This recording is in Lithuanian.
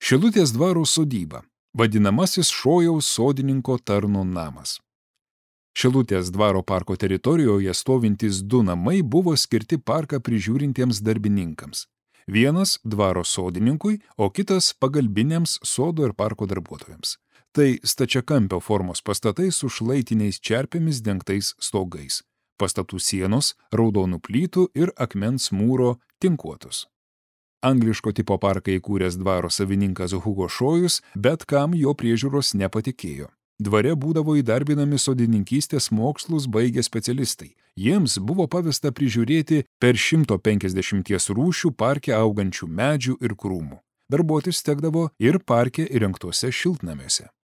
Šilutės dvaro sodyba, vadinamasis Šojaus sodininko tarno namas. Šilutės dvaro parko teritorijoje stovintys 2 namai buvo skirti parką prižiūrintiems darbininkams. Vienas dvaro sodininkui, o kitas pagalbiniams sodo ir parko darbuotojams. Tai stačiakampio formos pastatai su šlaitiniais čerpėmis dengtais stogais. Pastatų sienos raudonų plytų ir akmens mūro tinkuotos. Angliško tipo parką įkūręs dvaro savininkas Hugo Šojus, bet kam jo priežiūros nepatikėjo. Dvare būdavo įdarbinami sodininkystės mokslus baigę specialistai. Jiems buvo pavesta prižiūrėti per 150 rūšių parke augančių medžių ir krūmų. Darbuotis tekdavo ir parke įrengtuose šiltnamiuose.